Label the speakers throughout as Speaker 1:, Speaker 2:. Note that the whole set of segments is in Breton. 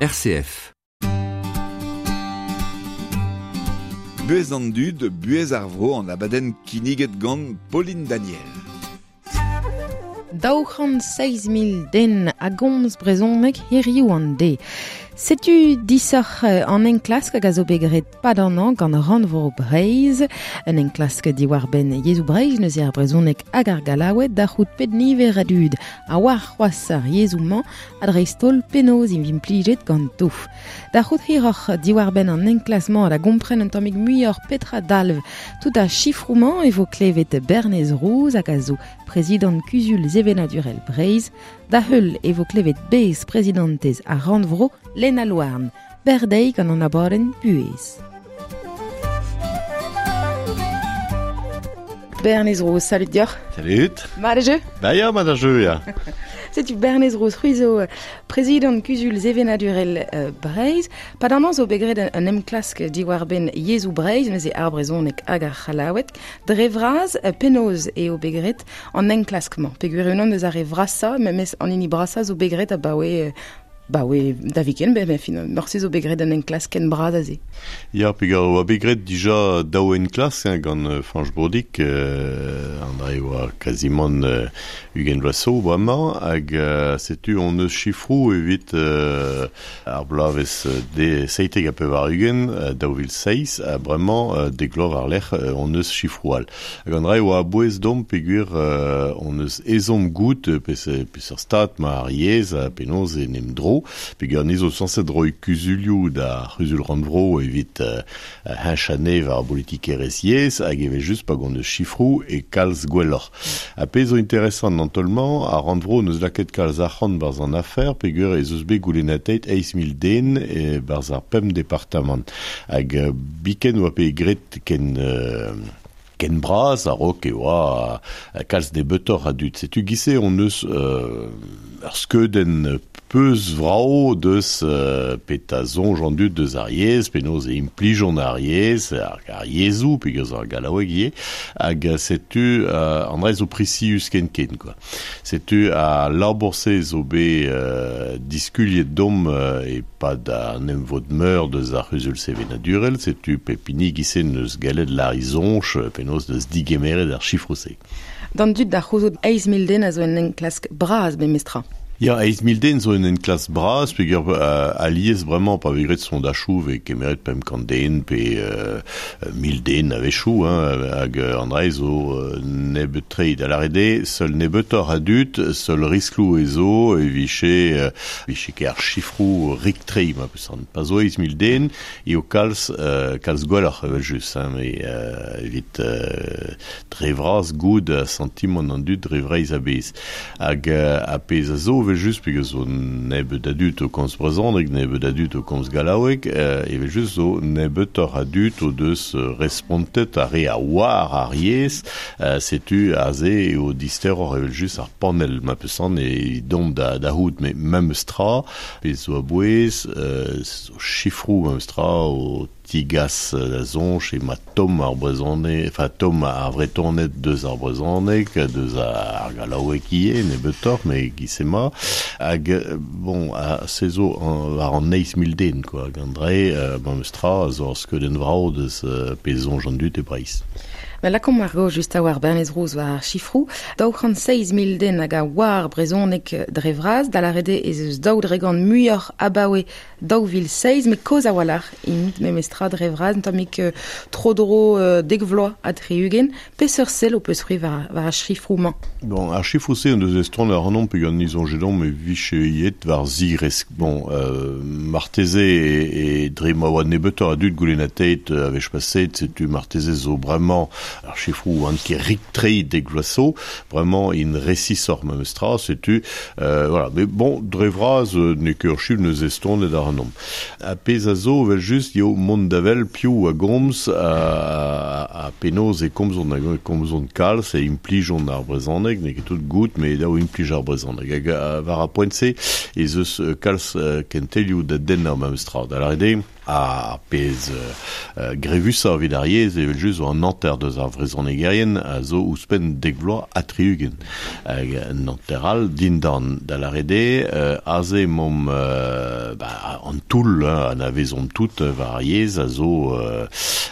Speaker 1: RCF.
Speaker 2: Buez an dud, buez ar vro an abadenn kinniget gant Pauline Daniel.
Speaker 3: 206 000 den a gomz brezhoneg hiriv an de. Setu disoc'h an enklask hag a zo bet graet pad an hañv gant Rannvro Breizh. Un enklask diwar-benn yezhoù Breizh neuze ar brezhoneg hag ar gallaoueg da c'hoût pet niver a dud a oar c'hoazh ar yezhoù-mañ ha dreist-holl penaos int implijet ganto. Da c'hoût hiroc'h diwar-benn an enklask-mañ da gompren un tammig muioc'h petra dalv tout ar sifroù-mañ e vo klevet Bernez Rouz hag a zo prezidant Kuzul Sevenadurel Breizh. Da heul e vo klevet bez prezidantez ar Rannvro Lena Louarn. Berdei gant an abadenn Buhez. Bernez Rouz, salut deoc'h.
Speaker 4: Salut.
Speaker 3: Mat e jeu?
Speaker 4: Ba ya, mat a jeu, ya.
Speaker 3: Setu Bernez Rouz, c'hwi zo prezidant Kuzul Sevenadurel Breizh. Pad an hañv zo bet graet un enklask diwar-benn yezhoù Breizh, neuze ar brezhoneg hag ar c'hallaoueg. Dre vras, penaos eo bet graet an enklask-mañ? Peogwir unan eus ar re vrasañ, memes an hini brasañ zo bet graet abaoe ba oe da viken, ben fin, morse zo bet graet un enklask ken bras aze.
Speaker 4: Ya, peogwir oa bet graet dija daou enklask hein, gant Fañch Broudic, an dre oa kazimant 20 vloaz zo bremañ, hag setu hon eus sifroù evit ar bloavezh de 97, 2006, ha bremañ dek vloaz war-lerc'h hon eus sifroù all. Hag an dra oa a-bouez domp peogwir hon eus ezhomm goût peseurt stad ma ar yezh ha penaos en em dro, peogwir ni zo sañset roiñ kuzulioù da c'huzul rannvro evit heñchañ anezhe war ar bolitikerezh yezh, hag evel-just pa gont eus sifroù e kalz gwelloc'h. Ha pezh zo interesant an taol-mañ, ar rannvro n'eus lakaet kalz arc'hant barzh an afer peogwir ez eus bet goulennatet 8 000 den barzh ar pemp departamant. Hag biken oa bet graet ken bras a-raok e oa kalz nebeutoc'h a dud. Setu giz-se hon eus ur skeudenn peus vrao deus petra soñj an dud deus ar yezh, penaos e implijont ar yezh, ar yezhoù, peogwir ar gallaoueg ivez, hag setu an dra zo prisius ken-ken, quoi. Setu al labour-se zo bet diskuliet domp e-pad an emvod-meur deus ar c'huzul sevenadurel, setu pep hini giz-se n'eus gallet lâr e soñj penaos deus digemeret ar sifroù-se.
Speaker 3: D'an dud da c'houzout 8 000 den a zo un enklask bras memestra.
Speaker 4: Ya, 8 000 den zo un enklask bras, peogwir alies bremañ pa vez graet sondajoù vez kemeret 500 den pe 1000 den a-wechoù, hein, hag an dra zo nebeut-tre. Da lâret eo, seul nebeutoc'h a dud, seul riskloù e zo e vije ket ar sifroù rik-tre, ma peus an. Pa zo 8 000 den, eo kalz gwelloc'h evel-just, hein, met evit dre vras goût santimant an dud dre Vreizh a-bezh. Hag a pezh a zo evel-just, peogwir zo nebeut a dud o komz brezhoneg, nebeut a dud o komz gallaoueg, evel-just zo nebeutoc'h a dud o deus respontet ar re a oar ar yezh, setu aze eo disteroc'h evel-just ar panell ma peus an e dont da c'hoût, met memes tra, pezh zo a-bouez, zo sifroù memes tra o tigas da soñj ema tomm ar brezhoneg, enfin tomm ar Vretoned deus ar brezhoneg, deus ar gallaoueg ivez, nebeutoc'h, met giz-se ma. Hag bon, a se zo war an 8 000 den, quoi, hag an dre, memes tra, zo ar skeudenn vrao deus pezh soñj an dud e Breizh.
Speaker 3: Ma lakomp ar gaoz just a war Bernez Rouz war ar sifroù. 206 000 den hag a oar brezhoneg dre vras, da lâret eo ez eus 2% muioc'h abaoe 2006, met kozh a-walc'h int memestra dre vras, un tammig tro-dro 90 vloaz ha 60. Peseurt sell ho peus c'hwi war ar sifroù-mañ?
Speaker 4: Bon, ar sifroù-se an deus estron ar anomp peogwir ni soñje domp e vije yet war zigresk. Bon, marteze e dre ma oa nebeutoc'h a dud goulennatet a wech paset, setu marteze zo bremañ ar sifroù an ket rik-tre dek vloaz zo, bremañ int resisoc'h memes tra, setu, voilà. Mais bon, dre vras, n'eo ket ur sifr neus estonet ar anomp. A pezh a zo evel-just eo mont da wel piv a gomz a penaos e komzont hag e komzont kalz e implijont ar brezhoneg, n'eo ket tout goût, met daou implij ar brezhoneg. Hag war ar poent-se ez eus kalz kentelioù da dennañ memes tra. Da lâret eo, Ar pezh grevusañ evit ar yezh evel-just zo an hanter deus ar vrezhonegerien a zo ouzhpenn dek vloaz ha 60. Hag an hanter all dindan, da lâret eo aze emaomp ba an toull anavezomp tout war ar yezh a zo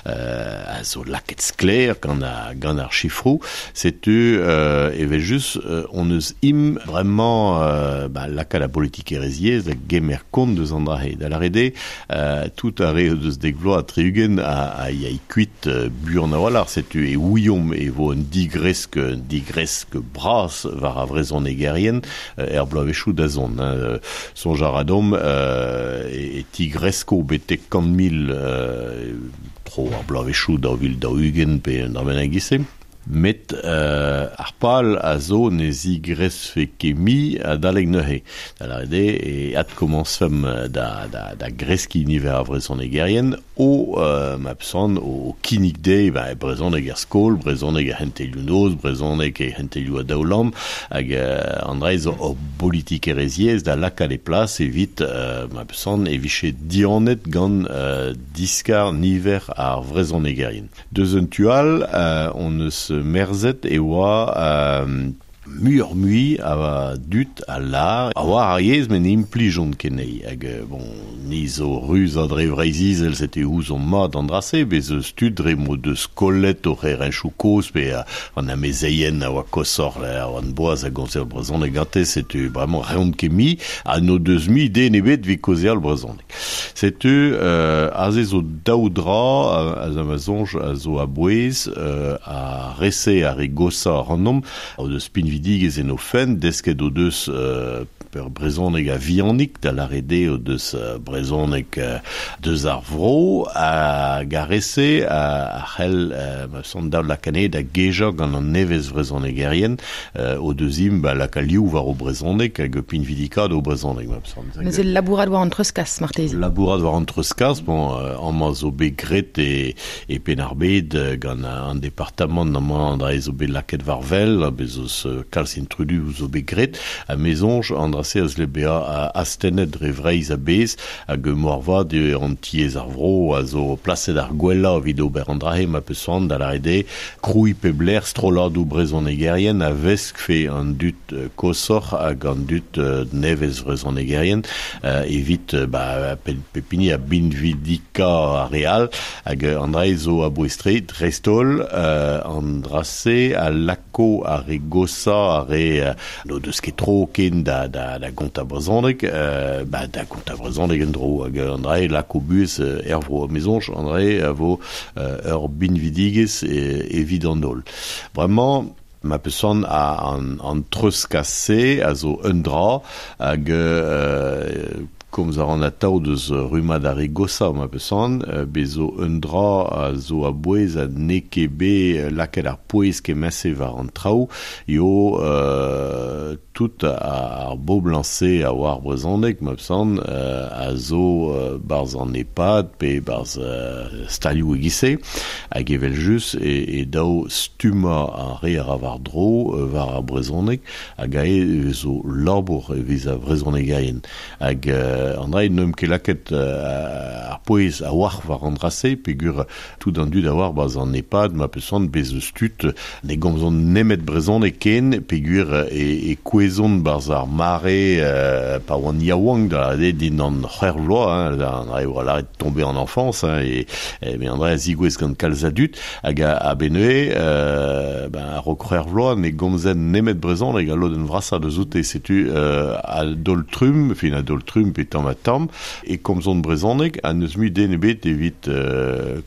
Speaker 4: a zo lakaet sklaer gant gant ar sifroù. Setu evel-just hon eus im bremañ ba lakaat ar politikerezh yezh da gemer kont deus an dra-se. Da lâret eo tout ar re o deus dek vloaz ha 60 a yay kuit buan a-walc'h, setu e ouiomp e vo un digresk, un digresk bras war ar vrezhonegerien er bloavezhioù da zont. Soñj a ra deomp e tigresko betek 100 000 tro ar bloavezhioù 2040 pe un dra bennak e-giz-se. Met ar pal a zo ne zigresfe ket mui adalek neuze. Da lâret eo e adkomañsfemp da, da, da greskiñ niver ar vrezhonegerien o ma peus o kinnig dezhe ba, brezhoneg er skol, brezhoneg er c'hentelioù-noz, brezhoneg e c'hentelioù a daoulamm, hag an dra zo ur politikerezh yezh da lakaat e plas evit ma peus e vije dianet gant diskar niver ar vrezhonegerien. Deus un tu all, hon eus merzet e oa muioc'h-mui a dud a lâr a oar ar yezh met ne implijont ket anezhi. Hag bon, ni zo ruz ha dre Vreizh-Izel, setu ouzomp mat an dra-se, bez eus tud dre m'o deus kollet o c'herenchoù kozh pe an amezeien a oa koshoc'h a oant boaz a gomzer brezhoneg gante, setu bremañ reont ket mui ha n'o deus mui den ebet evit kaozeal brezhoneg. Setu aze zo daou dra a ma soñj a zo a-bouez ar re-se ar re goshañ ac'hanomp o deus pinvidigezh en o fenn, desket o deus ur brezhoneg a-vihanik, da lâret eo o deus brezhoneg deus ar vro, hag ar re-se a c'hell ma son daou lakaat anezhe da gejañ gant an nevez vrezhonegerien o deus int ba lakaat liv war o brezhoneg hag pinvidikaat o brezhoneg ma son.
Speaker 3: Neuze labourat war an treuzkas marteze.
Speaker 4: Labourat war an treuzkas, bon, amañ zo bet graet e, e Penn-ar-Bed gant an departamant amañ an dra zo bet lakaet war wel, bez eus kalz intrudu zo bet graet, ha me soñj an dra-se a zle bezañ astennet dre Vreizh a-bezh, hag moarvat eo an tiez ar vro a zo plaset ar gwellañ evit ober an dra-se ma peus c'hoant da lâret eo krouiñ pep lec'h strolladoù brezhonegerien a veskfe an dud koshoc'h hag an dud nevez vrezhonegerien evit ba, pep hini a binvidika ar re all hag an dra zo a-bouez-tre dreist-holl an dra-se a lako ar re goshañ ar re n'o deus ket tro ken da, da, da gontañ brezhoneg ba, da gontañ brezhoneg en-dro hag an dra lako buhez er vro. Me soñj an dra a vo ur binvidigezh evit an holl. Bremañ ma peus c'hoant an, an treuzkas-se a zo un dra hag komz a ran atav deus rummad ar re goshañ ma peus c'hoant, bez zo un dra a zo a-bouez ha n'eo ket bet lakaet ar pouez kement-se war an traoù eo tout ar boblañs-se a oar brezhoneg ma peus c'hoant a zo 'barzh an EHPAD pe 'barzh stalioù e-giz-se hag evel-just e dav stummañ ar re a ra war-dro war ar brezhoneg hag aze zo labour evit ar vrezhonegerien. Hag an dra n'eump ket lakaet ar pouez a-walc'h war an dra-se peogwir tout an dud a oar 'barzh an EHPAD ma peus c'hoant bez eus tud ne gomzont nemet brezhoneg ken peogwir e, e kouezont 'barzh ar mare pa oant yaouank da lâret eo dindan c'hwec'h vloaz hein, an dra eo lâret tomber en enfance hein, e, met an dra a zigouez gant kalz a dud hag a-benn neuze ben a-raok c'hwec'h vloaz ne gomzent nemet brezhoneg al lodenn vrasañ deus oute setu a-daol-trumm, fin a-daol-trumm pe tamm ha tamm, e komzont brezhoneg ha n'eus mui den ebet evit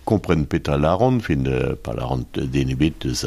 Speaker 4: kompren petra lâront, fin pa lâront den ebet deus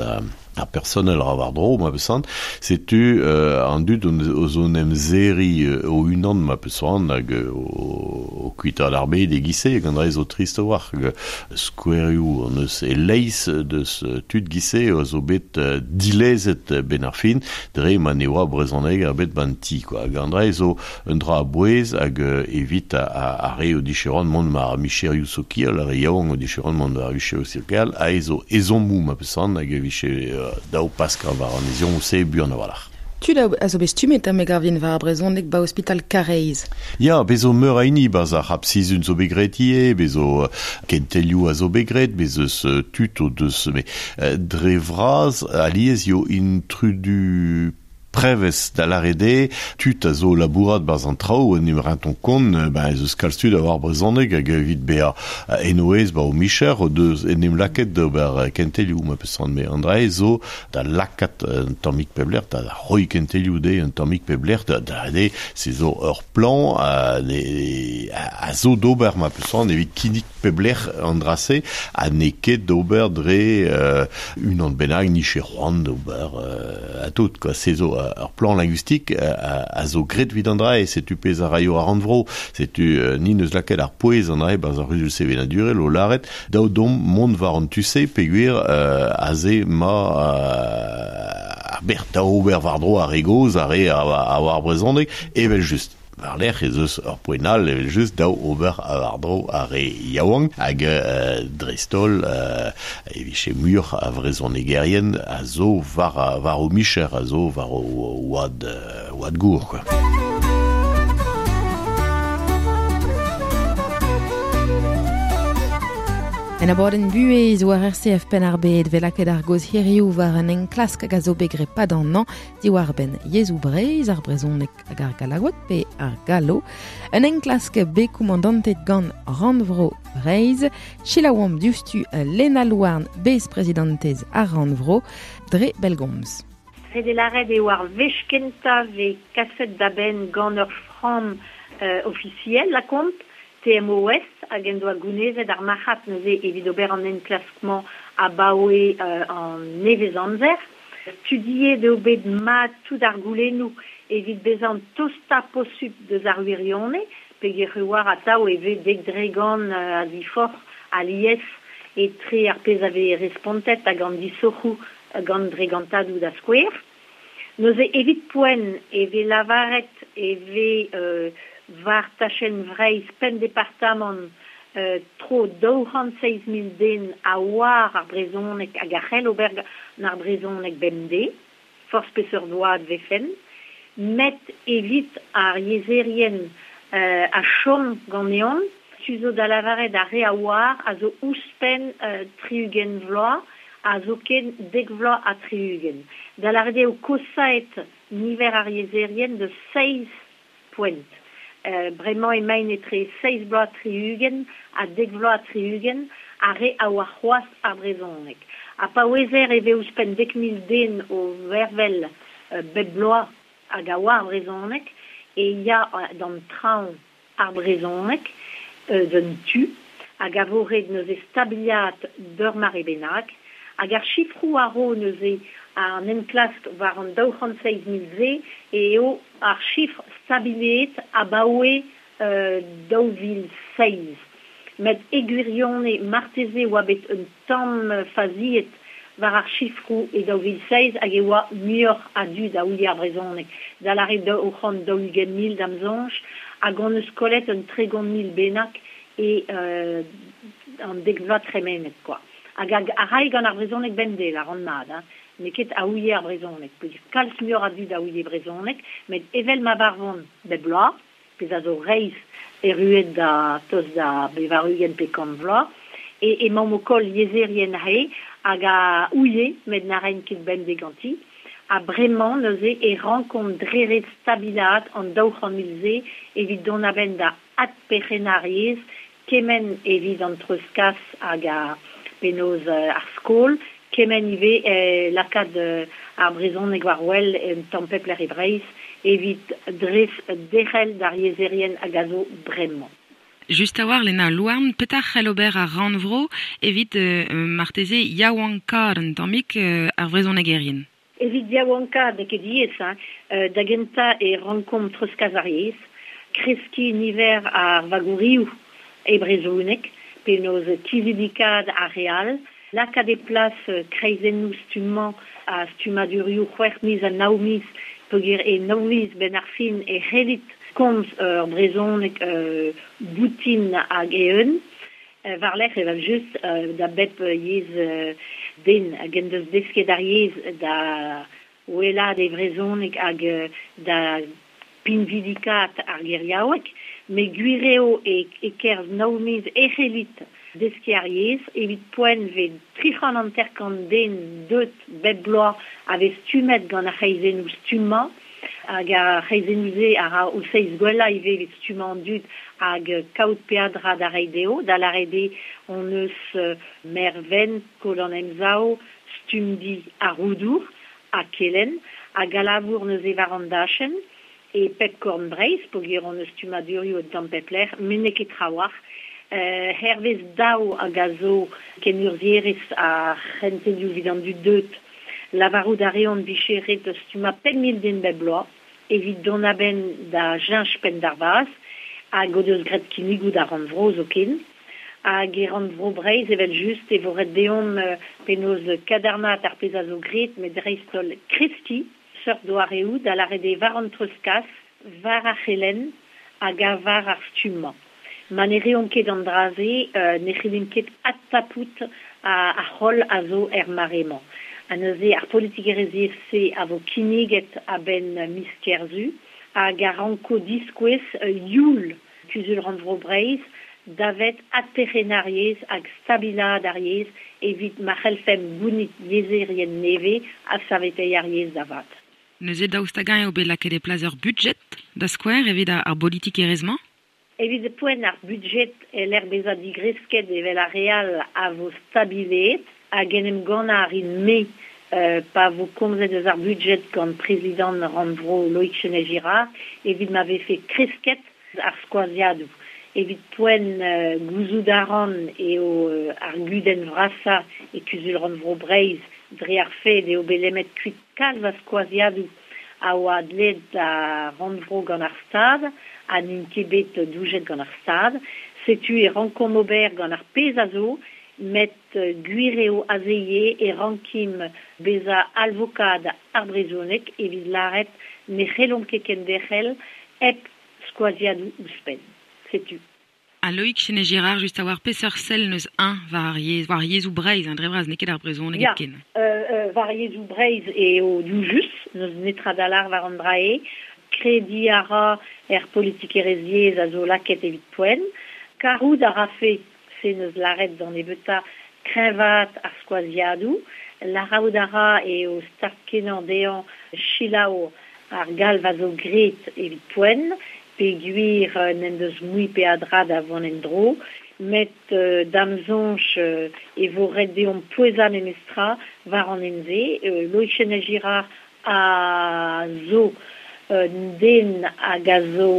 Speaker 4: ar personel ra war-dro ma peus c'hoant. Setu an dud o zo 'n em serriñ o-unan ma peus c'hoant hag o kuitaat ar bed e-giz-se hag an dra zo trist a-walc'h. Hag skouerioù hon eus e-leizh deus tud giz-se a zo bet dilezet 'benn ar fin dre ma ne oa brezhoneg ebet 'ba'n ti quoi. Hag an dra zo un dra a-bouez hag evit ar re o dije c'hoant mont war micherioù sokial, ar re yaouank o dije c'hoant mont war micherioù sokial, aze zo ezhommoù ma peus c'hoant hag e vije dav paskañ war an ezhommoù-se buan a-walc'h.
Speaker 3: Tud a zo bet stummet me gav din war ar brezhoneg ba ospital Karaez.
Speaker 4: Ya, bez zo meur a hini 'barzh ar C'hab Sizun zo bet graet ivez, bez zo kentelioù a zo bet graet, bez eus tud o deus met dre vras alies eo intrudu prevez da lâret eo, tud a zo o labourat 'barzh an traoù, en em rentont kont, ben ez eus kalz tud a oar brezhoneg hag evit bezañ en o aes 'ba o micher o deus en em lakaet d'ober kentelioù ma peus c'hoant. An dra-se zo da lakaat un tammig pep lec'h, da roiñ kentelioù dezhe un tammig pep lec'h, da lâret eo se zo ur plan a zo d'ober ma peus c'hoant evit kinnig pep lec'h an dra-se ha n'eo ket d'ober dre unan bennak 'nije c'hoant d'ober ha tout quoi. Se zo ur plan linguistique a zo graet evit an dra-se, setu pezh a raio ar rannvro, setu ni 'neus lakaet ar pouez an dra-se 'barzh ar c'huzul sevenadurel o lâret dav deomp mont war an tu-se peogwir aze 'ma ar bec'h da ober war-dro ar re gozh, ar re a oar brezhoneg, evel-just. War-lerc'h ez eus ur poent all evel-just dav ober war-dro ar re yaouank hag dreist-holl e vije muioc'h a vrezhonegerien a zo war war o micher, a zo war o oad oad gour quoi.
Speaker 3: En abadenn buhez war RCF Penn-ar-Bed 'vez lakaet ar gaoz hiriv war un enklask hag a zo bet graet 'pad an hañv diwar-benn yezhoù Breizh, ar brezhoneg hag ar gallaoueg pe ar gallo. Un enklask bet koumandantet gant Rannvro Breizh. Selaouomp diouzhtu Lena Louarn, besprezidantez ar Rannvro, dre bellgomz.
Speaker 1: Ret eo lâret eo ar wech kentañ 'vez kaset da benn gant ur framm ofisiel lakaomp, TMOS, hag en doa gounezet ar marc'had neuze evit ober an enklask-mañ abaoe an nevez-amzer. Studiet eo bet mat tout ar goulennoù evit bezañ an tostañ posupl deus ar wirionez, peogwir e oar atav e vez 10% a ziforc'h alies etre ar pezh a vez respontet hag an disoc'hoù gant dregantadoù da skouer. Neuze evit poent e vez lavaret e vez war tachenn Vreizh pemp departamant tro 207 000 den a oar ar brezhoneg hag a c'hell ober gant ar brezhoneg bemdez, forzh peseurt oad 'vefent. Met evit ar yezherien a chom ganeomp, tu zo da lavaret ar re a oar a zo ouzhpenn 60 vloaz ha zoken 70. Da lavaret eo kosaet niver ar yezherien deus seizh poent. Bremañ emaint etre seizh bloaz 60 ha 70 ar re a oar c'hoazh ar brezhoneg. Ha pa ouezer e vez ouzhpenn 10,000 den o vervel bep bloaz hag a oar brezhoneg e ya d'an traoñ ar brezhoneg eus un tu hag a vo ret neuze stabiliat d'ur mare bennak. Hag ar sifroù a ro neuze an enklask war an 207 000 se eo ar sifr stabiliet abaoe 2007. Met e gwirionez marteze e oa bet un tamm faziet war ar sifroù e 2007 hag e oa muioc'h a dud a ouie ar brezhoneg, da lâret 220 000 da'm soñj, hag hon eus kollet un 30 000 bennak e an dek vloaz tremenet kwa. Hag a rae gant ar brezhoneg bemdez, lâran mat, hein. N'eo ket a ouie ar brezhoneg, peogwir kalz muioc'h a dud a ouie brezhoneg, met evel ma varvont bep bloaz, pezh a zo reizh erruet da tost da 80 pe 100 vloaz, e emaomp o koll yezherien aze hag a ouie met na raent ket bemdez ganti. Ha bremañ neuze e rankomp dre ret stabilaat an 200 000 se evit dont a-benn da adperc'hennañ ar yezh kement evit an treuzkas hag ar penaos ar skol, kement ivez lakaat ar brezhoneg war wel un tamm pep lec'h e Breizh evit dres derc'hel d'ar yezherien hag a zo bremañ.
Speaker 3: Just a-walc'h, Lena Louarn, petra c'hell ober ar rannvro evit marteze yaouankaat un tammig ar vrezhonegerien?
Speaker 1: Evit yaouankaat n'eo ket diaes, hein. Da gentañ e rankomp treuzkas ar yezh, kreskiñ niver ar vagourioù e brezhoneg, penaos kizidikaat ar re all, lakaat e plas kreizennoù stummañ ha stummadurioù c'hwec'h miz ha nav miz, peogwir e nav miz 'benn ar fin e c'hellit komz ur brezhoneg boutin hag eeun. War-lerc'h evel-just da bep yezh den hag en deus desket ar yezh da wellaat e vrezhoneg hag da pinvidikaat ar geriaoueg, met gwir eo e-kerzh nav miz e c'hellit deskiñ ar yezh, evit poent 'vez 350 den deuet bep bloaz a vez stummet gant ar c'hreizennoù stummañ, hag ar c'hreizennoù-se a ra o seizh gwellañ ivez evit stummañ an dud hag kaout peadra da reiñ dezho, da lâret eo hon eus Mervent, Skol an Emsav, Stumdi ha Roudour, ha Kelenn, hag a labour neuze war an dachenn e pep korn Breizh, peogwir hon eus stummadurioù un tamm pep lec'h, met n'eo ket trawalc'h. Hervez daou hag a zo kenurzhierez ar c'hentelioù evit an dud deuet, lavarout a reont 'vije ret stummañ 5000 den bep bloaz evit dont a-benn da cheñch penn d'ar vazh, hag o deus graet kinnigoù d'ar rannvro zoken. Hag e rannvro Breizh evel-just e vo ret deomp penaos kadarnaat ar pezh a zo graet, met dreist-holl kreskiñ seurt doareoù, da lâret eo war an treuzkas, war ar c'helenn hag war ar stummañ. Ma ne reomp ket an dra-se ne c'hellimp ket adtapout ar c'holl a zo er mare-mañ. Ha neuze ar politikerezh-se a vo kinniget a-benn miz Kerzu hag a ranko diskouez youl Kuzul-rannvro Breizh davet adperc'hennañ ar yezh hag stabilaat ar yezh evit ma c'hellfemp gounit yezherien nevez ha saveteiñ ar yezh da vat.
Speaker 3: Neuze daoust hag-eñ eo bet lakaet e plas ur budjed, da skouer, evit ar bolitikerezh-mañ?
Speaker 1: Evit poent ar budjed e-lec'h bezañ digresket evel ar re all a vo stabileet hag en em gannañ a rin-me pa vo komzet eus ar budjed gant prezidant rannvro Loïg Chesnais-Girard evit ma vefe kresket ar skoaziadoù. Evit poent gouzout a ran eo ar gudenn vrasañ e Kuzul-rannvro Breizh dre ar fed eo bet lemmet kuit kalz a skoaziadoù a oa dleet da rannvro gant ar Stad ha n'int ket bet doujet gant ar Stad. Setu e rankomp ober gant ar pezh a zo, met gwir eo aze ivez e rankimp bezañ alvokad ar brezhoneg evit lâret ne c'hellomp ket kenderc'hel hep skoaziadoù ouzhpenn. Setu.
Speaker 3: Ha Loïg Chesnais-Girard, just a-walc'h peseurt sell 'neus eñ war ar yezh, war yezhoù Breizh, dre vras, n'eo ket ar brezhoneg hepken.
Speaker 1: Ya, war yezhoù Breizh eo doujus, n'eus netra da lâr war an dra-se. Krediñ a ra er politikerezh yezh a zo lakaet evit poent. Karout a rafe, se 'neus lâret d'an nebeutañ, kreñvaat ar skoaziadoù. Lârout a ra eo start-kenañ dezhañ selaou ar galv a zo graet evit poent, peogwir n'en deus mui peadra da vont en-dro, met da'm soñj e vo ret deomp pouezañ memestra war an hent-se. Loïg Chesnais-Girard a zo un den hag a zo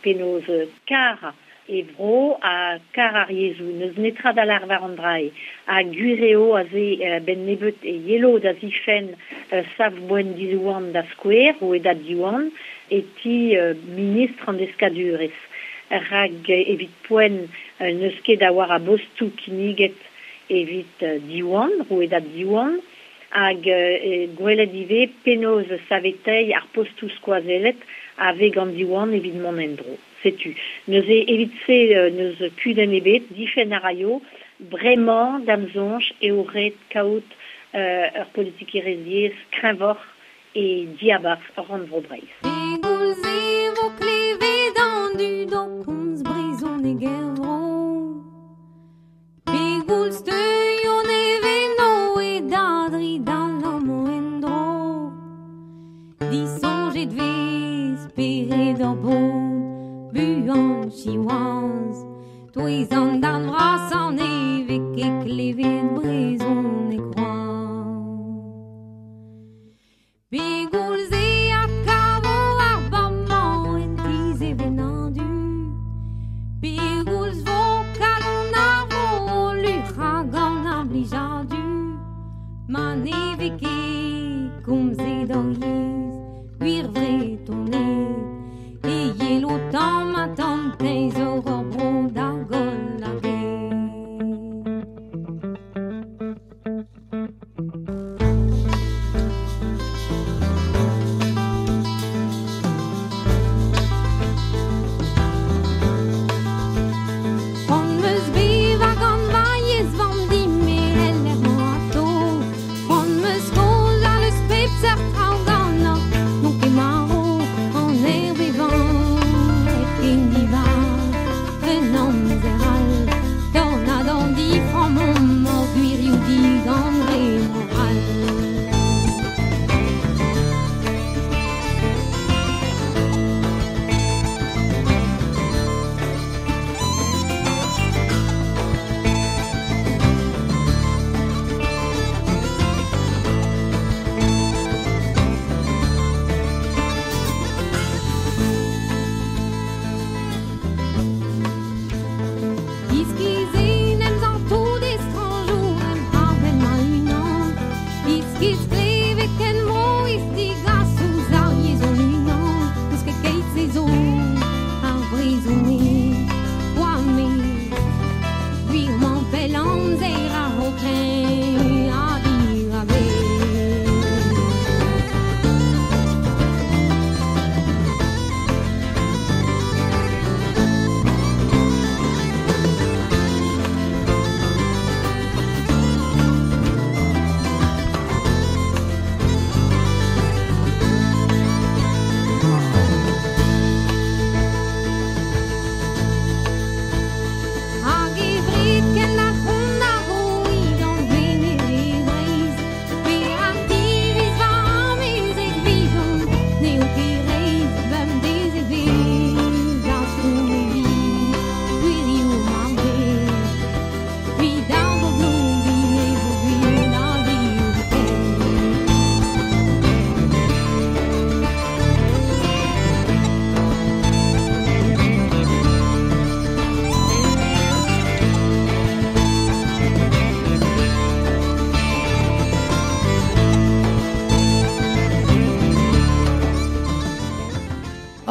Speaker 1: penaos kar e vro ha kar ar yezhoù. N'eus netra da lâr war an dra-se. Ha gwir eo aze 'benn nebeut e yelo da zifenn savboent Diwan da skouer, rouedad Diwan, e ti ministr an deskadurezh. Rak evit poent n'eus ket a-walc'h a bostoù kinniget evit Diwan, rouedad Diwan, hag gwelet ivez penaos saveteiñ ar postoù skoazellet a vez gant Diwan evit mont en-dro. Setu. Neuze evit se n'eus kudenn ebet, difenn a raio. Bremañ, da'm soñj, eo ret kaout ur politikerezh yezh kreñvoc'h e diabarzh rannvro Breizh.
Speaker 5: Pegoulz e vo klevet an dud o komz brezhoneg er vro? Pegoulz teuio Nevenoe da dridal amañ en-dro? Disoñjet 'vez spered hor bobl buan siwazh. Touez an darn vrasañ ne vez ket klevet brezhoneg c'hoazh. Pegoulz e adkavo ar bamañ en ti-sevenadur? Pegoulz 'vo kalon ar vro o luc'hañ gant ar blijadur? Ma ne vez ket komzet hor yezh, gwir Vretoned, e yelo tamm-ha-tamm teñzor hor bro da goll ar ger. C'hoant 'm eus bevañ gant ma yezh vamm din-me el lec'h-mañ atao. C'hoant 'm eus kaozeal eus pep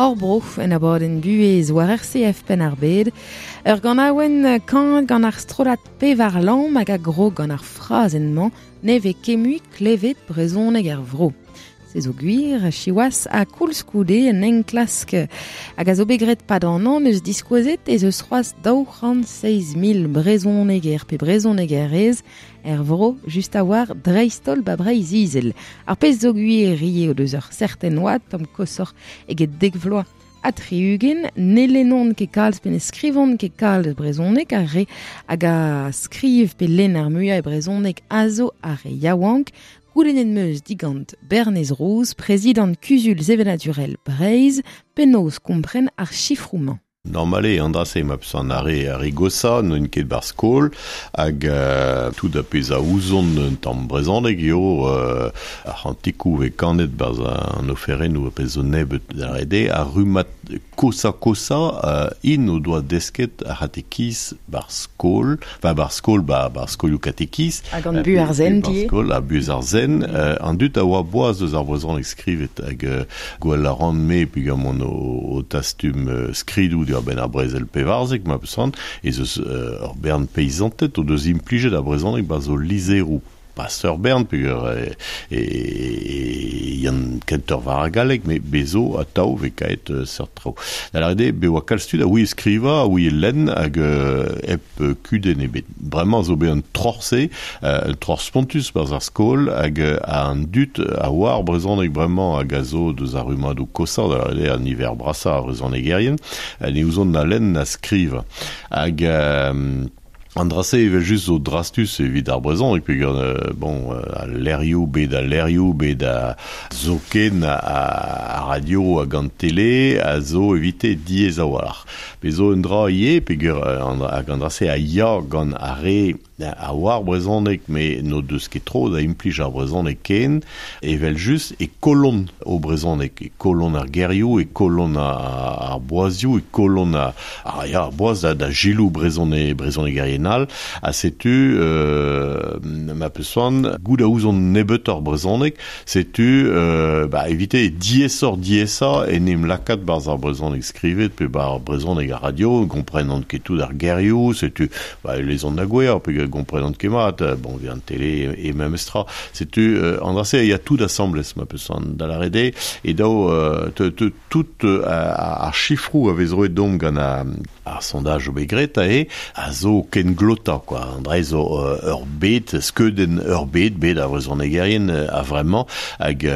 Speaker 3: Hor bro en abadenn buhez war RCF Penn-ar-Bed. Ur ganaouenn kanet gant ar strollad pevar lamm hag a grog gant ar frazenn-mañ ne vez ket mui klevet brezhoneg er vro. Se zo gwir, siwazh, ha koulskoude un enklask hag a zo bet graet 'pad an hañv 'neus diskouezet ez eus c'hoazh 207 000 brezhoneger pe brezhonegerez er vro just a-walc'h dreist-holl 'ba Breizh-Izel. Ar pezh zo gwir ivez o deus ur serten oad tamm koshoc'h eget dek vloaz ha 60, ne lennont ket kalz pe ne skrivont ket kalz brezhoneg, ar re hag a skriv pe lenn ar muiañ e brezhoneg a zo ar re yaouank. Goulennet 'm eus digant Bernez Rouz, prezidant Kuzul Sevenadurel Breizh, penaos kompren ar sifroù-mañ.
Speaker 4: Normal eo an dra-se, ma peus an ar re goshañ n'int ket 'barzh skol hag tout ar pezh a ouzont un tamm brezhoneg eo ar c'hantikoù 'vez kanet 'barzh an oferennoù ar pezh zo nebeut da lâret eo ar rummad koshañ-koshañ int o doa desket ar c'hatekiz 'barzh skol, enfin 'barzh skol, 'barzh skolioù katekiz.
Speaker 3: Hag an buhez ar sent ivez.
Speaker 4: Skol ha buhez ar sent. An dud a oa boaz eus ar brezhoneg skrivet hag gwell a ran-me peogwir o tastum skridoù diwar-benn ar brezel 14, ma peus c'hoant, ez eus ur bern peizanted o deus implijet ar brezhoneg 'barzh o lizheroù. Pas ur bern peogwir e yan kentoc'h war ar galleg, met bez zo atav 'vez kaet seurt traoù. Da lâret eo, bez 'oa kalz tud a ouie skrivañ, a ouie lenn hag hep kudenn ebet. Bremañ zo bet an troc'h-se, un troc'h spontus 'barzh ar skol hag an dud a oar brezhoneg bremañ hag a zo deus ar rummadoù koshañ, da lâret eo an niver brasañ a vrezhonegerien, ne ouzont na lenn na skrivañ. Hag An dra-se evel-just zo drastus evit ar brezhoneg peogwir bon al levrioù, bet al levrioù, bet a zoken ar radio hag an tele a zo evite diaes a-walc'h. Bez zo un dra ivez peogwir hag an dra-se a ya gant ar re a oar brezhoneg met n'o deus ket tro da implij ar brezhoneg ken, evel-just e kollont o brezhoneg, e kollont ar gerioù, e kollont ar boazioù, e kollont ar Ah ya, ar boaz da, da gilou brezhone, brezhonegerien all, ha setu euh, ma peus c'hoant, goût a ouzon nebeutoc'h brezhoneg, setu euh, ba, evite diaesoc'h diaesañ en em lakaat 'barzh ar brezhoneg skrivet pe 'ba ar brezhoneg ar radio, gomprenan ket tout ar gerioù, setu ba, e lezont da gouezhañ pe gomprenan ket mat, bon, via an tele e memes tra. Setu an dra-se a ya tout asambles, ma peus c'hoant da lâret eo, e daou tout ar sifroù a vez roet deomp gant ar sondaj zo bet graet aze a zo kenglotañ kwa. An dra zo ur bed, skeudenn ur bed, bed ar vrezhonegerien a-vremañ hag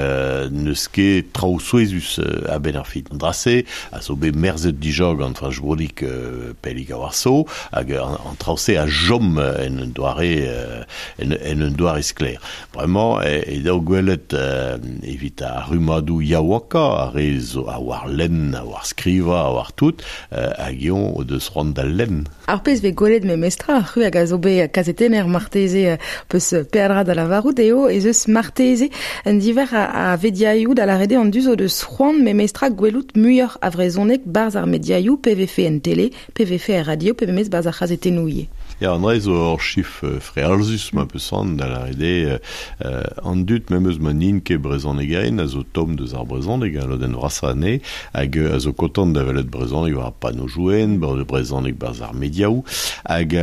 Speaker 4: n'eus ket traoù souezhus a-benn ar fin. An dra-se a zo bet merzet dija gant Fañch Broudig pellik a-walc'h zo hag an traoù-se a chom en un doare en un doare sklaer. Bremañ e dav gwelet evit ar rummadoù yaouankañ, ar re zo a oar lenn, a oar skrivañ, a oar tout, hag eñ o deus c'hoant da lenn.
Speaker 3: Ar pezh 'vez gwelet memestra, c'hwi hag a zo bet kazetenner marteze peus peadra da lavarout eo ez eus marteze un diver a vediaioù da lâret eo an dud o deus c'hoant memestra gwelout muioc'h a vrezhoneg 'barzh ar mediaioù, pe vefe en tele, pe vefe er radio, pe memes 'barzh ar c'hazetennoù ivez.
Speaker 4: Ya, an dra zo ur chif frealzus ma peus c'hoant da lâret eo an dud memes ma n'int ket brezhonegerien a zo tomm deus ar brezhoneg, al lodenn vrasañ anezhe, hag a zo kontant da welet brezhoneg war ar panneau-jouen, brezhoneg 'barzh ar mediaoù, hag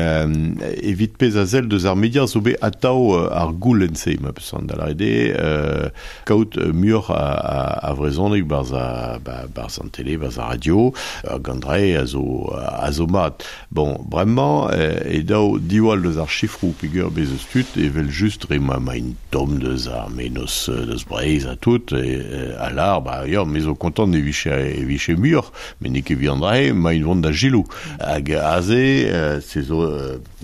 Speaker 4: evit pezh a sell deus ar media zo bet atav ar goulenn-se ma peus c'hoant da lâret eo kaout muioc'h a vrezhoneg 'barzh 'barzh an tele, 'barzh ar radio, hag an dra-se a zo mat. Bon, bremañ e dav diwall deus ar sifroù peogwir bez eus tud evel-just dre ma emaint tomm deus ar mennozh deus Breizh ha tout a lâr ba ya me zo kontant e vije e vije muioc'h met n'eo ket evit an dra-se emaint vont da Gilou hag aze se zo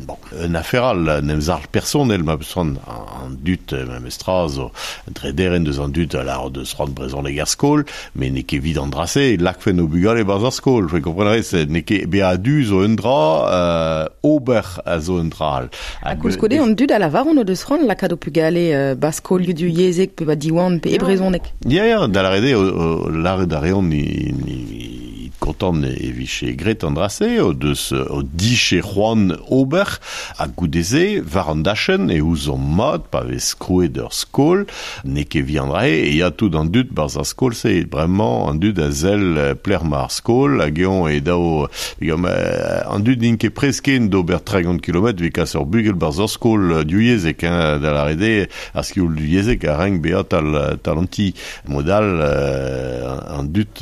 Speaker 4: bon un afer all un emzalc'h personel ma peus c'hoant an dud memestra zo un drederenn deus an dud a lâr deus c'hoant brezhoneg er skol Met n'eo ket evit an dra-se e lakfen o bugale 'barzh ar skol. Je kompren a rez, n'eo ket bezañ a-du zo un dra, ober a zo un dra all.
Speaker 3: Ha koulskoude, an dud a lavaront o deus c'hoant lakaat ho pugale 'ba skolioù divyezhek pe 'ba Diwan pe e brezhoneg.
Speaker 4: Ya, ya, da lâret eo, lâret a reont kontant e viche gret an drase, o deus o diche c'hoant ober, ha goudeze, war an dachen, e ouzon mat, pa vez krouet ur skol, ne ket vi an drae, e ya tout an dud barz ar skol se, bremañ an dud a zel pler ma ar skol, hag eon e dao, an dud n'int ket presken d'ober 30 km vi kas ur bugel barz ur skol diuyezek, hein, da la rede, ar skioul diuyezek a renk bea tal, tal anti modal an dud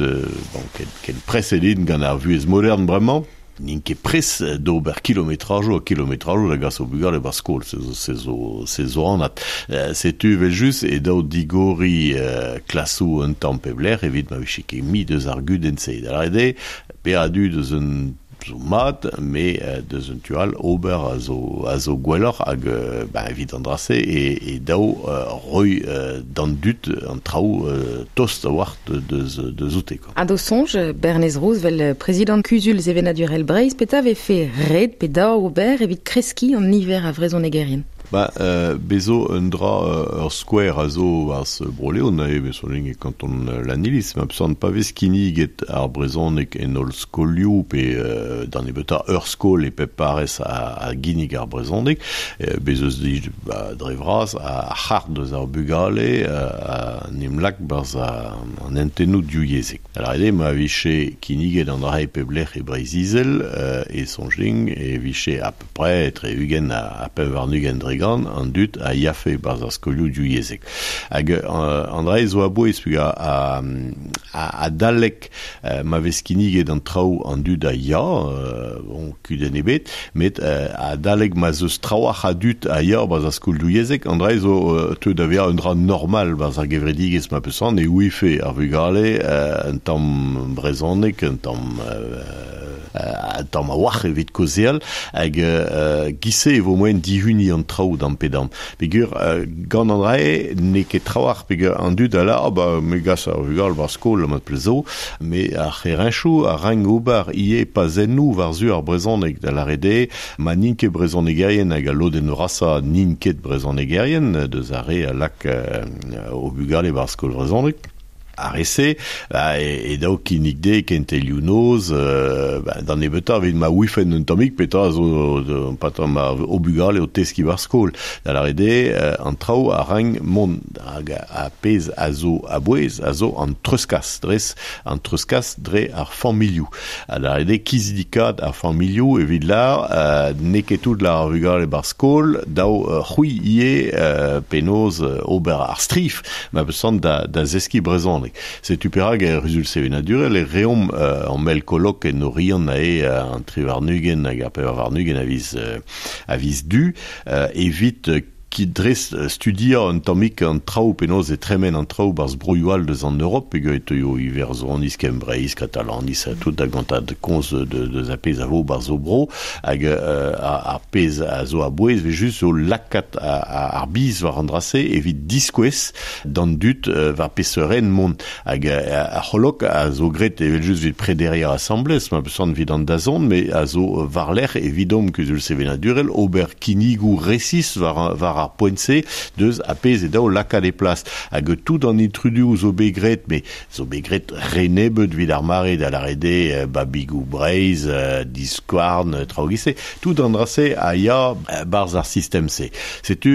Speaker 4: bon, ken presedin gant ar vuez modern bremañ, n'int ket pres d'ober kilometrajo a kilometrajo da gas o bugale bar skol, se zo anat. Setu vel just e dao digori klasou un tamm pebler evit ma viche ket mi deus ar gudenn se. Da la rede, pe a du deus un zo mat, me deus un tual ober a zo gwelloc'h hag ba, evit an drase e dao roi d'an dud an traoù tost a war deus oute. Quoi.
Speaker 3: Ha do sonj, Bernez Rouz vel prezident kuzul sevenadurel Breizh, peta vefe red pe dao ober evit kreski an niver a vrezhonegerien?
Speaker 4: Ba, bezo un dra ur square a zo war se broleon a eo soling e kanton Lanilis, ma psan pa vez kinniget ar brezhoneg en ol skolioù pe d'an ebeta ur skol e pep parez a ginnig ar brezhoneg, bez eus di ba, dre vras a c'hart deus ar bugale a nimlak barz an entennoù diuyezek. Alors ede ma viche kinniget an dra e pep lec'h e Breizh-Izel e sonjling e viche à peu près tre ugen a pep war nugen dre gant an dud a yafe barz ar skolioù diuyezek. Hag an dra zo a bouez pug a dalek ma vez kinniget an traoù an dud a ya, bon, kudenn ebet, met a dalek ma zeus traoù a dud a ya barz ar skol diuyezek, an dra zo teu da vezañ un dra normal barz ar gevredigezh ma peus an e ouife ar vugale un tamm brezhoneg, un tamm tamm a war evit kozeal hag gise e vo moen dihuni an traoù d'an pedam. Pegur gant an drae n'eo ket traoù pegur an dud a la, ah, ba, me gas ar vugal bar skol mat plezo, me ar c'herenchoù a rang ober ie pazennoù war zu ar brezhoneg da la rede, ma n'int ket brezhonegerien hag a lodenn rasa n'int ket brezhonegerien deus ar re a lak o bugale bar skol brezhoneg. Ar ese, ba, e dao kinnig de kentelioù noz, ba, d'an ebeta evit ma ouifen un tammig petra zo pata ma o bugale o teski war skol. Da la rede, an traoù a rang mont hag a pez a zo a bouez, a zo an treuskas, dres, an treuskas dre ar familioù. A la rede, kizidikat ar familioù evit la, n'eo ket tout la ar vugale bar skol, dao c'hwi ie penoz ober ar strif, ma peus da zeski brezhoneg. Setu perak e ruzul sevenadurel e reomp an mel kolok en orion a e an trivarnugen hag ar pevarnugen a viz du, evit ki dres studia un tammik an traoù penaos e tremen an traoù barz broioù all deus an Europe, peogwir e teuio Iwerzhoniz, Kembreiz, Katalaniz, tout da gantad komz deus a pezh a vo barz o bro, hag ar pezh a zo a bouez ve just zo lakat ar biz war an drase evit diskouez d'an dud war peseurt mont. Hag ar c'holok a zo gret evel just evit prederia asamblez, ma peus an evit an dazont, me a zo war lec'h evidomp kuzul sevenadurel ober kinnigoù resis war ar poent-se deus a pezh e dao lakaat e plas. Hag tout an intrudu zo bet gret, me zo bet gret renebeut vid ar mare da la rede babigou Breizh, diskouarn, traoù gise, tout an drase a ya barz ar sistem-se. Setu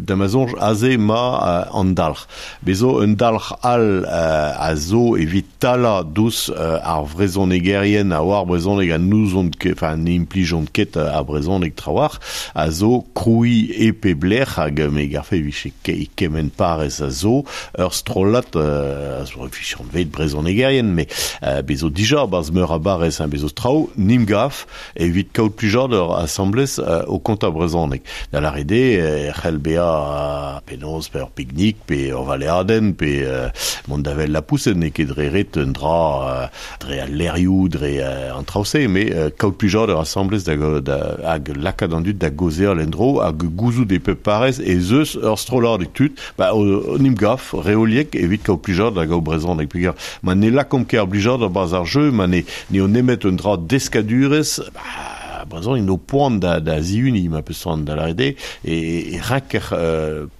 Speaker 4: d'Amazon aze ma an dalc'h. Bezo un dalc'h all a zo evit tala dous ar vrezhonegerien a war brezhoneg a nouzont ket, enfin ne implijont ket ar brezhoneg trawar, a zo kroui e pe blec'h hag me garfe viche kement parez a zo ur strollad a zo viche an vet brezhonegerien, me bezo dija barz meur a barez un bezo traoù nim gaf evit kaout plijadur asamblez o konta brezhoneg. Da la rede c'hell bea penaos pe ur piknik pe ur valeadenn pe mont da vel la pousenn n'eo ket dre ret un dra dre al lerioù dre an traoù-se, me kaout plijadur asamblez da hag lakaat an dud da gozeal en-dro hag gouzout e pep parez e zeus ur strollad tud, ba o nim gaf reoliek evit kaout plijadur da gaout brezhoneg. Peogwir ma ne lakomp ket ar blijadur barz ar jeu, ma ne o nemet un dra deskadurez, ba, brezhoneg no poan da ziuni ma peus c'hoant da lâret eo e ranker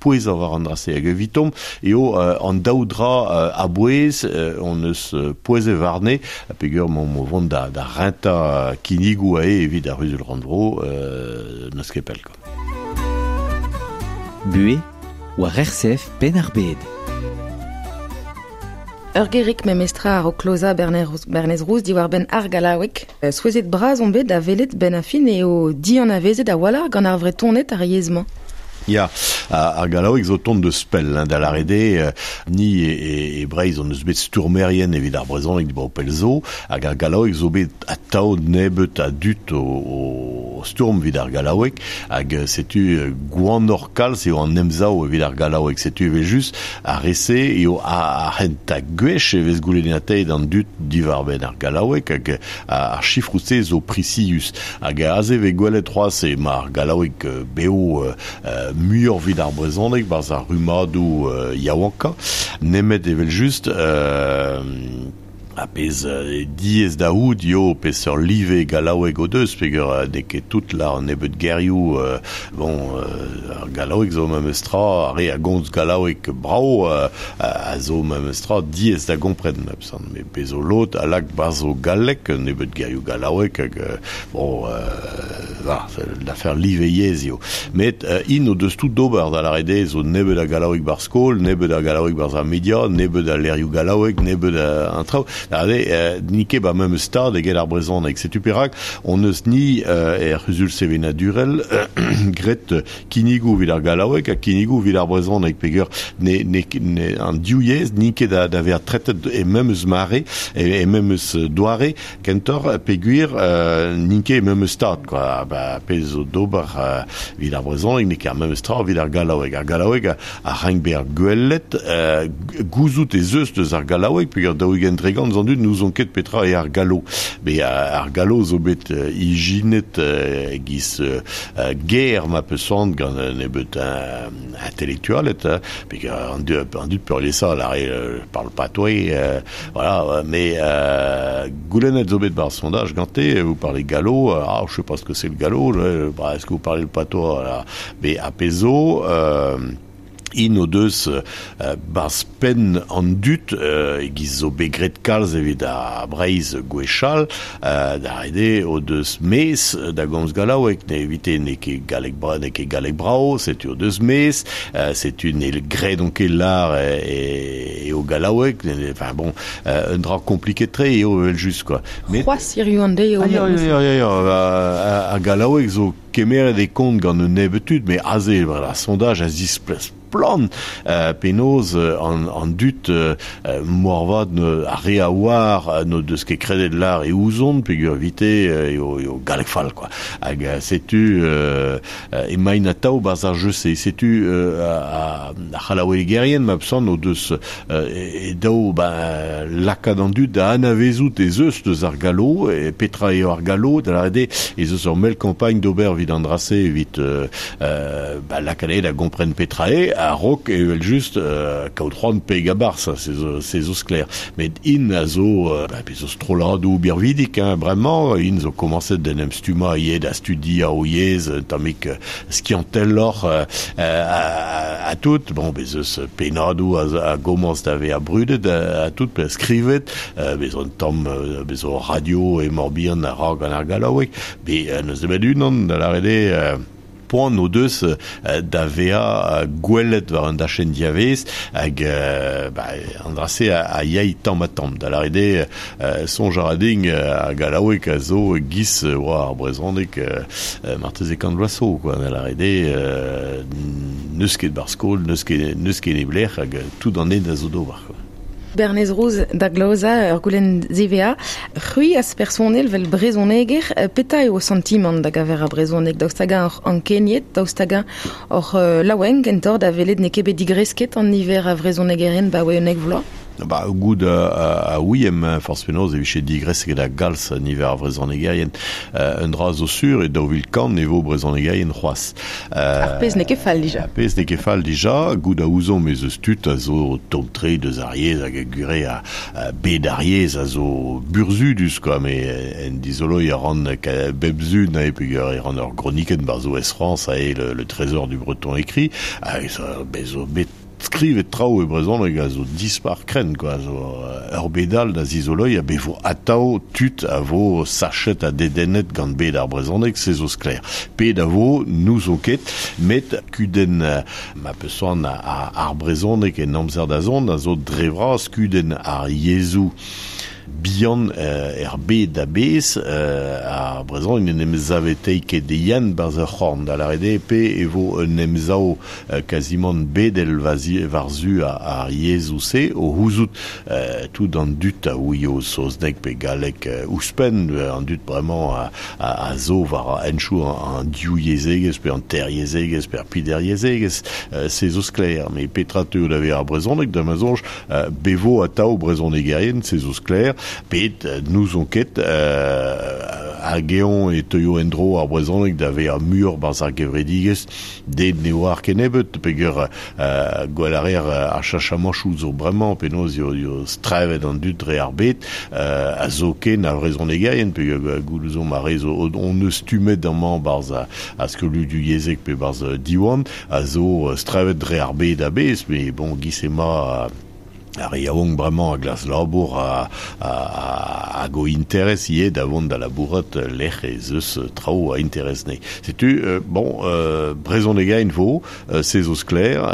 Speaker 4: pouezañ war an dra-se hag evitomp eo an daou dra a-bouez hon eus pouezet warne peogwir emaomp o vont da rentañ kinnigoù aze evit ar C'huzul-rannvro n'eus ket pell quoi.
Speaker 6: Buhez war RCF Penn-ar-Bed.
Speaker 3: Ur gerig memestra a-raok klozañ Bernez Rouz diwar-benn ar gallaoueg. Souezhet bras on bet da welet 'benn ar fin eo dianavezet a-walc'h gant ar Vretoned ar yezh-mañ.
Speaker 4: Ya, ar gallaoueg zo tont deus pell, hein, da lâret eo, ni e Breizh hon eus bet stourmerien evit ar brezhoneg dibaoe pell zo, hag ar gallaoueg zo bet atav nebeut a dud o stourm evit ar gallaoueg, hag setu gwanoc'h kalz eo an emsav evit ar gallaoueg. Setu evel-just ar re-se eo ar c'hentañ gwech e vez goulennataet an dud diwar-benn ar gallaoueg, hag ar sifroù-se zo prisius. Hag aze e vez gwelet c'hoazh emañ ar gallaoueg bev muioc'h evit ar brezhoneg 'barzh ar rummadoù yaouankañ, nemet evel-just ar pezh diaes da c'hoût eo peseurt live gallaoueg o deus peogwir n'eo ket tout lâr un nebeud gerioù bon ar gallaoueg zo memes tra ar re a gomz gallaoueg brav a zo memes tra diaes da gompren met bez zo lod a lak 'barzh o galleg un nebeud gerioù gallaoueg hag bon l'affaire live yezh eo. Met int o deus tout d'ober da lâret eo zo nebeut a gallaoueg ba'r skol, nebeut a gallaoueg barzh ar media, nebeut a levrioù gallaoueg, nebeut a an traoù. Da lâret eo n'int ket ba memes stad eget ar brezhoneg. Setu perak hon eus ni er c'huzul sevenadurel graet kinnigoù evit ar gallaoueg ha kinnigoù evit ar brezhoneg peogwir ne, ne, ne, an div yezh n'int ket da, da vezañ tretet e memes mare, e memes doare. Kentoc'h, peogwir n'int ket e memes stad, kwa. Ba, pezh zo d'ober evit ar brezhoneg n'eo ket ar memes tra evit ar gallaoueg. Ar gallaoueg a rank bezañ gwelet, gouzout ez eus deus ar gallaoueg, peogwir 40% an dud n'ouzont ket petra eo ar gallo. Met ar gallo zo bet ijinet e-giz ger ma peus c'hoant gant un nebeut intelektualed, peogwir an dud peurliesañ a lâre parle patois, Voilà, mais goulennet zo bet bar sondage gante, vous parlez gallo, ah, je sais pas ce que c'est le gallo, bah, est-ce que vous parlez le patois, là, mais a pezh zo, int o deus barzh penn an dud, e-giz zo bet graet kalz evit ar Breizh gwechall, da ret eo o deus mezh da gomz gallaoueg, ne evite n'eo ket galleg n'eo ket galleg brav, setu o deus mezh, setu ne gredont ket lâr eo gallaoueg, enfin bon, un dra kompliket-tre eo evel-just quoi.
Speaker 3: Met C'hoazh hiziv an deiz eo.
Speaker 4: Ah, ya, ya, ya, ya, ar gallaoueg zo kemeret e kont gant un nebeud tud, met aze, voilà, sondage a zispleg splann penaos an dud moarvat ar re a oar n'o deus ket kredet lâr e ouzont peogwir evite eo galleg fall quoi. Hag setu emaint atav 'barzh ar jeu-se. Setu ar c'hallaouegerien ma peus o deus e daou ben lakaat an dud da anavezout ez eus deus ar gallo, petra eo ar gallo, da lâret eo ez eus ur mell kampagn d'ober evit an dra-se evit ba lakaat eo da gompren petra eo a-raok evel-just kaout c'hoant pegañ 'barzh, se zo sklaer. Met int a zo, ba bez zo strolladoù birvidik hein, bremañ, int zo komañset d'en em stummañ ivez da studiañ o yezh un tammig skianteloc'h ha tout. Bon, bez eus pennadoù a gomañs da vezañ brudet ha tout, pe skrivet, bez zo un tamm, bez zo radio e Morbihan a ra gant ar gallaoueg, bet n'eus nemet unan da lâret eo poan o deus da vezañ gwelet war un dachenn diavaez hag ba, an dra-se a yay tamm-ha-tamm. Da lâret eo, soñj a ra din ar gallaoueg a zo giz oa ar brezhoneg marteze kant vloaz zo, quoi. Da lâret eo, n'eus ket ba'r skol, n'eus ket, n'eus ket neblec'h hag tout an hent a zo d'ober, quoi.
Speaker 3: Bernez Rouz da glozañ ur goulenn ziwezhañ. C'hwi az personel 'vel brezhoneger, petra eo ho santimant da gaver ar brezhoneg? Daoust hag-eñ oc'h ankeniet? Daoust hag-eñ oc'h laouen kentoc'h da welet n'eo ket bet digresket an niver a vrezhonegerien 'baoe 11 vloaz?
Speaker 4: Ba, goud a ouiem, forz penaos e vije digresket a galz niver ar vrezonegerien. Un dra zo sur e 2000 ne vo brezonegerien c'hoazh.
Speaker 3: Ar pezh n'eo ket fall dija.
Speaker 4: Ar pezh n'eo ket fall dija, goud a ouzomp ez eus tud a zo tomm-tre deus ar yezh hag a gure a bed ar yezh a zo burzhudus quoi, me en dizoloiñ a ran bep sun ae peogwir e ran ur gronikenn 'barzh Ouest France ae le trésor du breton écrit, hag bez zo bet skrivet traoù e brezhoneg a zo dispar krenn quoi, a zo ur bed all da zizoloiñ ha bez vo atav tud a vo sachet ha dedennet gant bed ar brezhoneg, se zo sklaer. Pet a vo, n'ouzon ket, met kudenn ma peus c'hoant ar brezhoneg en amzer da zont a zo dre vras kudenn ar yezhoù bihan er bed a-bezh, ar brezhoneg n'en em savetei ket e-yann 'barzh ur c'horn, da lâret eo pe e vo un emsav kazimant bedel war-zu ar yezhoù-se, o c'houzout tout an dud a ouio saozneg pe galleg ouzhpenn, an dud bremañ a zo war henchoù an divyezhegezh pe an teryezhegezh pe ar pideryezhegezh, se zo sklaer. Met petra teuo da vezañ ar brezhoneg, da ma soñj, Be vo atav brezhonegerien, se zo sklaer, pet n'ouzon ket hag eñ e teuio en-dro ar brezhoneg da vezañ muioc'h 'barzh ar gevredigezh, den ne oar kennebeut peger gwell a reer ar cheñchamanchoù zo bremañ, penaos eo strevet an dud dre ar bed, ha zoken ar vrezhonegerien, peogwir goût ouzomp ar re zo hon eus stummet amañ 'barzh ar skolioù divyezhek pe 'barzh Diwan, a zo strevet dre ar bed a-bezh, met bon, giz emañ ar re yaouank bremañ a glask labour hag o interes ivez da vont da labourat lec'h ez eus traoù a interes anezhe. Setu, bon, brezhonegaén vo, se zo sklaer,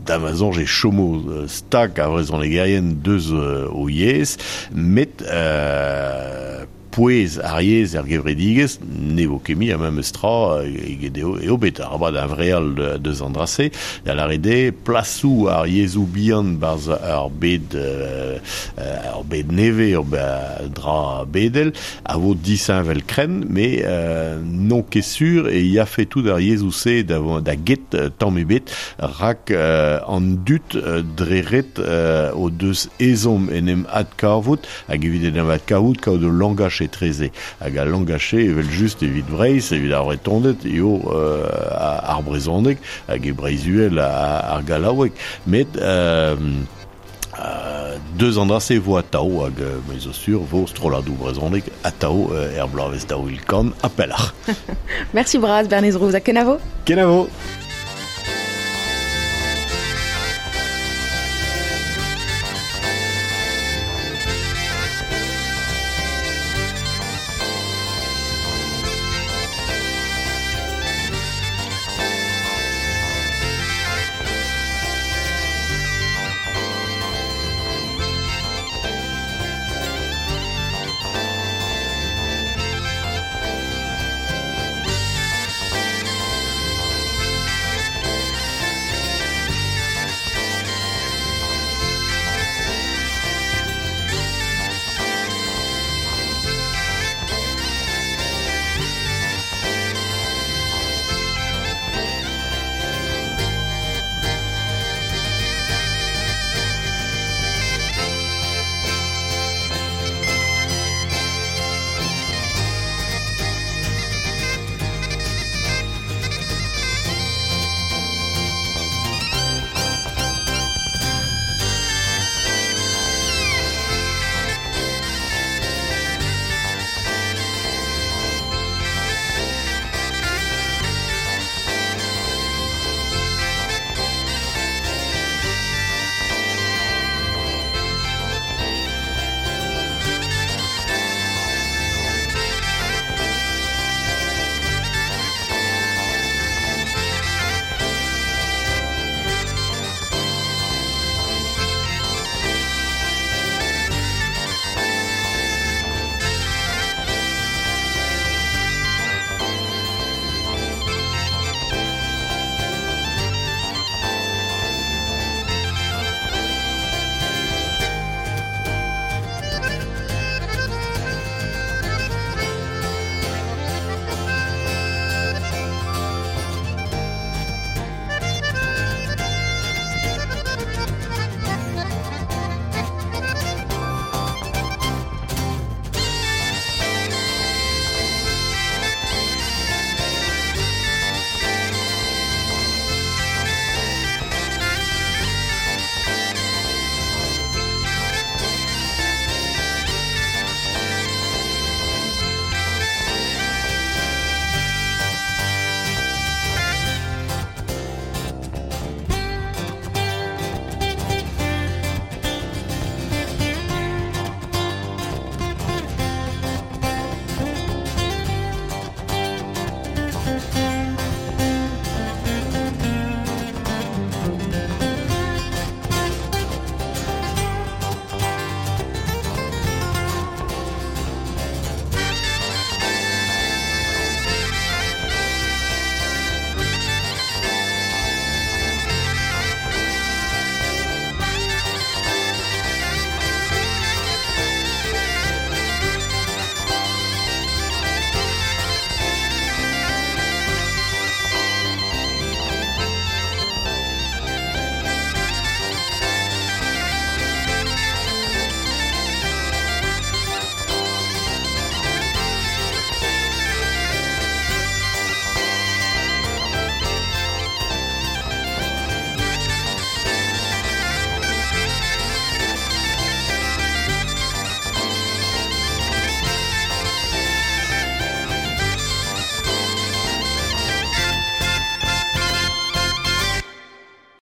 Speaker 4: da ma soñj e chomo stag ar vrezhonegerien deus o yezh, met Pouez ar yezh er gevredigezh ne vo ket mui ar memes tra eget eo bet arabat huñvreal deus an dra-se, da lâret eo plasoù ar yezhoù bihan 'barzh ur bed ur bed nevez, ur dra bedel a vo disheñvel-krenn met n'on ket sur e yafe tout ar yezhoù-se da get tamm ebet rak an dud dre ret o deus ezhomm en em adkavout Hag evit en em adkavout, kaout ul langach etreze. Hag al langach-se, evel-just, evit Breizh, evit ar Vretoned, eo ar brezhoneg, hag e Breizh-Uhel ar gallaoueg. Met deus an dra-se vo atav, hag me zo sur vo strolladoù brezhonek atav er bloavezh 2000 ha pelloc'h.
Speaker 3: Mersi bras, Bernez Rouz, ha kenavo!
Speaker 4: Kenavo!